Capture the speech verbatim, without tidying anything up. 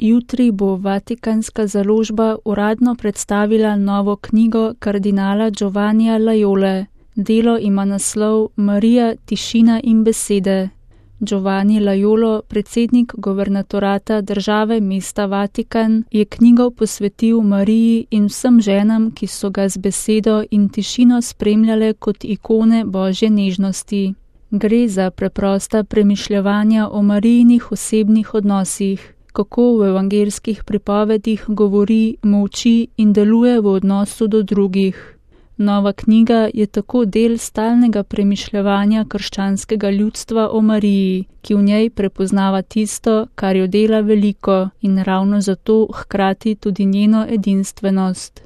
Jutri bo Vatikanska založba uradno predstavila novo knjigo kardinala Giovannija Laiole. Delo ima naslov Marija, tišina in besede. Giovanni Laiolo, predsednik guvernatorata države mesta Vatikan, je knjigo posvetil Mariji in vsem ženam, ki so ga z besedo in tišino spremljale kot ikone Božje nežnosti. Gre za preprosta premišljevanja o Marijinih osebnih odnosih, kako v evangelskih pripovedih govori, molči in deluje v odnosu do drugih. Nova knjiga je tako del stalnega premišljevanja krščanskega ljudstva o Mariji, ki v njej prepoznava tisto, kar jo dela veliko in ravno zato hkrati tudi njeno edinstvenost.